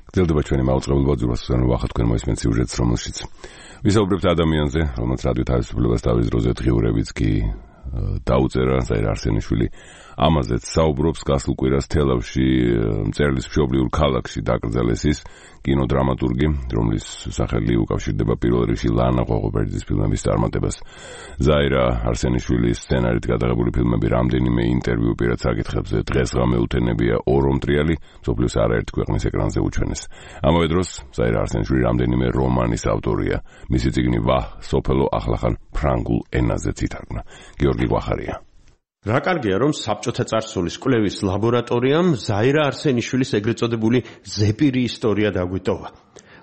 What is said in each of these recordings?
გრძელდება ჩვენი მაუწყებლობა ძურვასთან ვახა თქვენ მოისმენთ სიუჟეტს, რომელშიც ვისაუბრებთ ადამიანზე, რომელსაც რადიო თავისუფლებას თავის დროზე დღიურებიც კი დაუწერა ზაირ არსენიშვილი. ამაზეც საუბრობს გასულ კვირას თელავში მწერლის მშობლიურ ქალაქში დაკრძალეს ის კინოდრამატურგი, რომლის სახელი უკავშირდება პირველ რიგში ლანა ღოღობერიძის ფილმების წარმატებას. ზაირა არსენიშვილის სცენარით გადაღებული ფილმები რამდენიმე ინტერვიუ პირად საკითხებზე დღესღამე უთენებია ორომტრიალი, მსოფლიოს არაერთი ქვეყნის ეკრანზე უჩვენეს. ამავე დროს ზაირა არსენიშვილი რამდენიმე რომანის ავტორია. მისი წიგნი ვაჰ სოფელო ახლახან ფრანგულ ენაზეც ითარგმნა. გიორგი გვახარია. რა კარგია, რომ საბჭოთა წარსულის კვლევის ლაბორატორიამ ზაირა არსენიშვილის ეგრეთ წოდებული ზეპირი ისტორია დაგვიტოვა.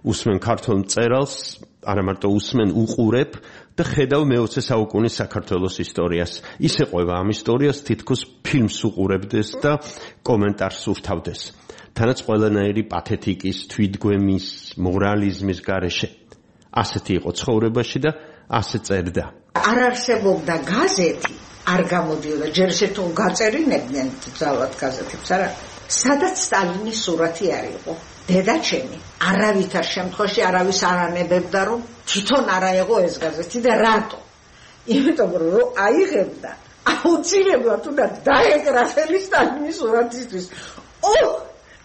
უსმენ ქართულ მწერალს, არა მარტო უსმენ, უყურებ და ხედავ მე-20 საუკუნის საქართველოს ისტორიას. ის ეყვება ამ ისტორიას, თითქოს ფილმს უყურებდეს და კომენტარს ურთავდეს. თანაც ყველანაირი პათეტიკის, თვითგვემის, მორალიზმის გარეშე. ასეთი იყო ცხოვრებაში და ასე წერდა. არ არსებობდა გაზეთი, არ გამოდიოდა, ჯერ ისე გაწერინებდნენ ძალად გაზეთებს, არა? სადაც სტალინის სურათი არ იყო. დედაჩემი არავითარ შემთხვევაში არავის არ ანებებდა, რომ თვითონ არა იყო ეს გაზეთი და რატო? იმიტომ რომ აიღებდა აუცილებლად უნდა დაეკრახელი სტალინის სურათისთვის.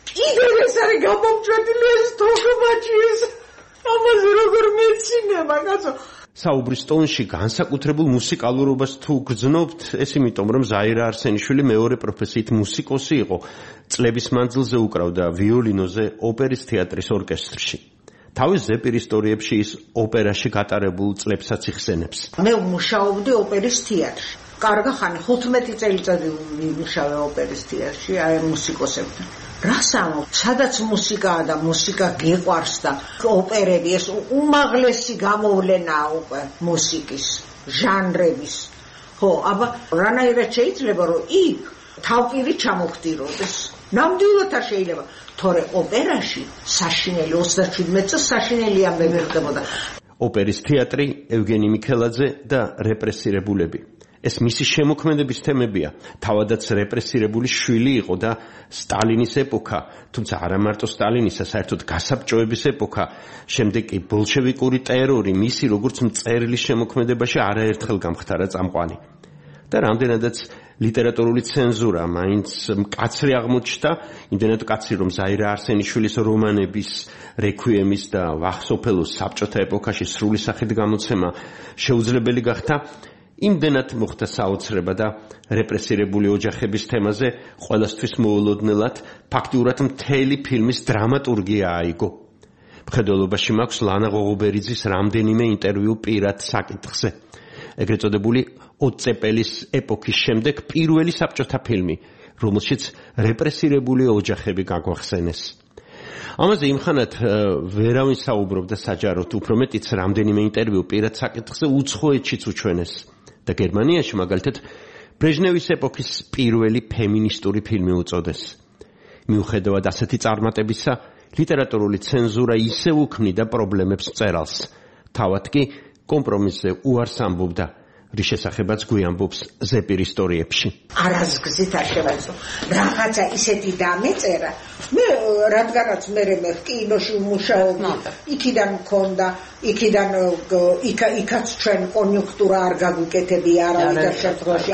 კიდევ ეს არის გამომწვეული ეს თოქმაჩი ეს. ამაზე როგორ მეცინება, კაცო? საუბრის ტონში განსაკუთრებულ მუსიკალურობას თუ გრძნობთ, ეს იმიტომ, რომ ზაირა არსენიშვილი მეორე პროფესიით მუსიკოსი იყო. წლების მანძილზე უკრავდა ვიოლინოზე ოპერის თეატრის ორკესტრში. თავის ზეპირ ისტორიებში ის ოპერაში გატარებულ წლებსაც იხსენებს. მე მუშაობდი ოპერის თეატრში. კარგა ხანი 15 წელიწადი ვიმუშავე ოპერის თეატრში, აი მუსიკოსებთან. რასამო, სადაც მუსიკაა და მუსიკა გიყვარს და ოპერები ეს უმაღლესი გამოვლენაა უკვე მუსიკის ჟანრების. ხო, აბა რანაირად შეიძლება რომ იქ თავპირი ჩამოხდიროდეს? ნამდვილად არ შეიძლება. თორე ოპერაში საშინელი 37 წელს საშინელი ამბები ხდებოდა. ოპერის თეატრი, ევგენი მიქელაძე და რეპრესირებულები. ეს მისი შემოქმედების თემებია. თავადაც რეპრესირებული შვილი იყო და სტალინის ეპოქა, თუმცა არა მარტო სტალინისა, საერთოდ გასაბჭოების ეპოქა, შემდეგ კი ბოლშევიკური ტერორი მისი როგორც მწერლის შემოქმედებაში არაერთხელ გამხდარა წამყვანი. და რამდენადაც ლიტერატურული ცენზურა მაინც მკაცრი აღმოჩნდა, იმდენად მკაცრი, რომ ზაირა არსენიშვილის რომანების, რექვიემის და ვაჰ სოფელოს საბჭოთა ეპოქაში სრული სახით გამოცემა შეუძლებელი გახდა. იმდენად მოხდა საოცრება და რეპრესირებული ოჯახების თემაზე ყველასთვის მოულოდნელად ფაქტიურად მთელი ფილმის დრამატურგია აიგო. მხედველობაში მაქვს ლანა ღოღობერიძის რამდენიმე ინტერვიუ პირად საკითხზე. ეგრეთ წოდებული ოცეპელის ეპოქის შემდეგ პირველი საბჭოთა ფილმი, რომელშიც რეპრესირებული ოჯახები გაგვახსენეს. ამაზე იმხანად ვერავინ საუბრობდა საჯაროდ, უფრო მეტიც რამდენიმე ინტერვიუ პირად საკითხზე უცხოეთშიც უჩვენეს. და გერმანიაში მაგალითად ბრეჟნევის ეპოქის პირველი ფემინისტური ფილმი უწოდეს. მიუხედავად ასეთი წარმატებისა, ლიტერატურული ცენზურა ისევ უქმნიდა პრობლემებს მწერალს. თავად კი კომპრომისზე უარს ამბობდა, რის შესახებაც გვიამბობს ზეპირ ისტორიებში. არაზგზით არ შევეცო. რაღაცა ისეთი დამეწერა. მე რადგანაც მე კინოში ვმუშაობდი, იქიდან მქონდა, იქიდან იქაც ჩვენ კონიუნქტურა არ გაგვიკეთებია არავითარ შემთხვევაში,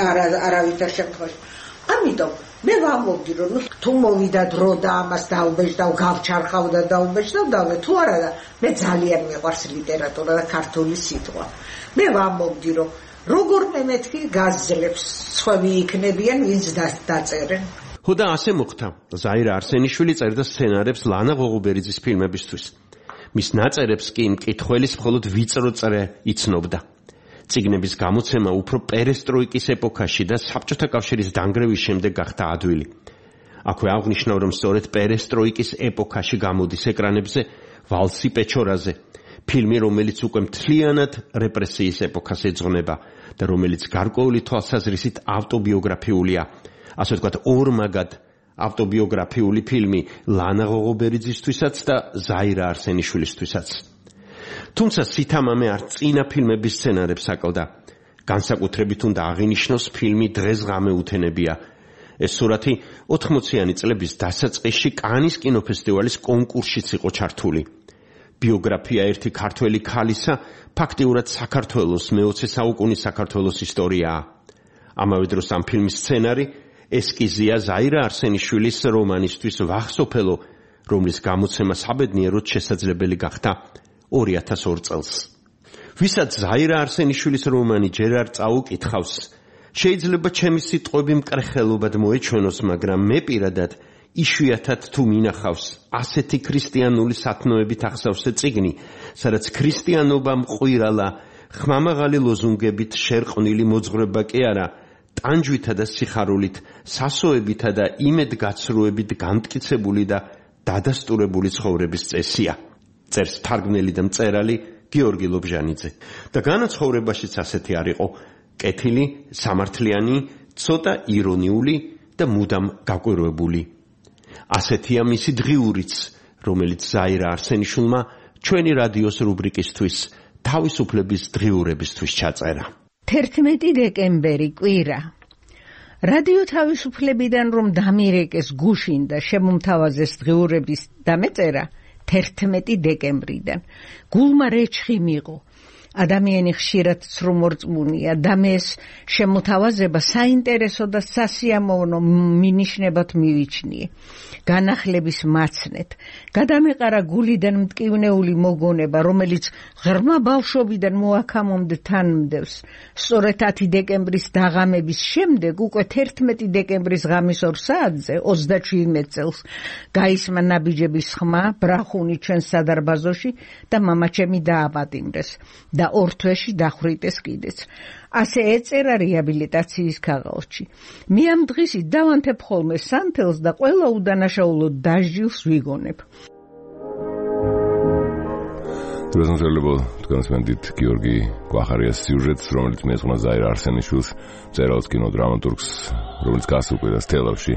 არავითარ შემთხვევაში. ამიტომ მე ვამბობდი, რომ თუ მოვიდა დრო და ამას დაუბეჭდა, გავჩარხავ და დაუბეჭდა, თუ არა და მე ძალიან მიყვარს ლიტერატურა და ქართული სიტყვა. მე ვამბობდი, რომ როგორ მეთქი გაზლებს სხვები იქნებიან, ვინც დაწერენ. ხო და ასე მოხდა. ზაირა არსენიშვილი წერდა სცენარებს ლანა ღოღობერიძის ფილმებისთვის. მის ნაწერებს კი მკითხველის მხოლოდ ვიწრო წრე იცნობდა. წიგნების გამოცემა უფრო პერესტროიკის ეპოქაში და საბჭოთა კავშირის დანგრევის შემდეგ გახდა ადვილი. აქვე აღნიშნავ, რომ სწორედ პერესტროიკის ეპოქაში გამოდის ეკრანებზე ვალსი პეჩორაზე, ფილმი, რომელიც უკვე მთლიანად რეპრესიის ეპოქას ეძღვნება და რომელიც გარკვეული თვალსაზრისით ავტობიოგრაფიულია. ასე ვთქვათ, ორმაგად ავტობიოგრაფიული ფილმი ლანა ღოღობერიძისთვისაც და ზაირა არსენიშვილისთვისაც. თუმცა სითამამე არ წინა ფილმების სცენარებს აკლდა. განსაკუთრებით უნდა აღინიშნოს ფილმი დღესღამე უთენებია. ეს სურათი 80-იანი წლების დასაწყისში კანის კინოფესტივალის კონკურსშიც იყო ჩართული. ბიოგრაფია ერთი ქართველი ქალისა ფაქტიურად საქართველოს მე-20 საუკუნის საქართველოს ისტორიაა. ამავე დროს ამ ფილმის სცენარი ესკიზია ზაირა არსენიშვილის რომანისთვის ვახსოფელო, რომლის გამოცემა საბედნიეროდ შესაძლებელი გახდა 2002 წელს. ვისაც ზაირა არსენიშვილის რომანი ჯერ არ წაუკითხავს, შეიძლება ჩემი სიტყვები მკრხელობად მოეჩვენოს, მაგრამ მე პირადად იშვიათად თუ მინახავს ასეთი ქრისტიანული სათნოებით ახსავსე წიგნი, სადაც ქრისტიანობა მყვირალა ხმამაღალი ლოზუნგებით შერყვნილი მოძღვრება კი არა, ტანჯვითა და სიხარულით, სასოებითა და იმედგაცრუებით განმტკიცებული და დადასტურებული ცხოვრების წესია. წერს თარგმნელი და მწერალი გიორგი ლობჟანიძე. და განაცხოვრებაშიც ასეთი არ იყო, კეთილი, სამართლიანი, ცოტა ირონიული და მუდამ გაკვირვებული. ასეთია მისი დღიურიც, რომელიც ზაირა არსენიშვილმა ჩვენი რადიოს რუბრიკისთვის თავისუფლების დღიურებისთვის ჩაწერა. 11 დეკემბერი კვირა. რადიო თავისუფლებიდან რომ დამირეკეს გუშინ და შემომთავაზეს დღიურების დამეწერა 11 დეკემბრიდან. გულმა რეჩხი მიღო. ადამიანი ხშირად ცრუმორწმუნია და მეს შემოთავაზება საინტერესო და სასიამოვნო მინიშნებად მივიჩნიე. განახლების მაცნეთ, გადამეყარა გულიდან მტკივნეული მოგონება, რომელიც ღრმა ბავშვობიდან მოაქამომდე თან მდევს. სწორედ 10 დეკემბრის დაღამების შემდეგ, უკვე 11 დეკემბრის ღამის 2 საათზე, 37 წელს, გაისმა ნაბიჯების ხმა, ბრახუნი ჩვენს სადარბაზოში და მამაჩემი დააპატიმრეს და 2 თვეში დახვრიტეს კიდეც. ასე ეწერა რეაბილიტაციის ქაღალდში. მე ამ დღისით დავანთებ ხოლმე სანთელს და ყველა უდანაშაულო დასჯილს ვიგონებ. დროსმოძლებო თქვენს მენდით გიორგი კვახარიას სიუჟეტს, რომელიც მეძღვნა ზაირა არსენიშვილს, მწერალს, კინოდრამატურგს, რომელიც გასულყვირას თელავში,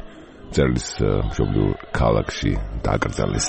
მწერლის მშობლიურ ქალაქში დაკრძალეს.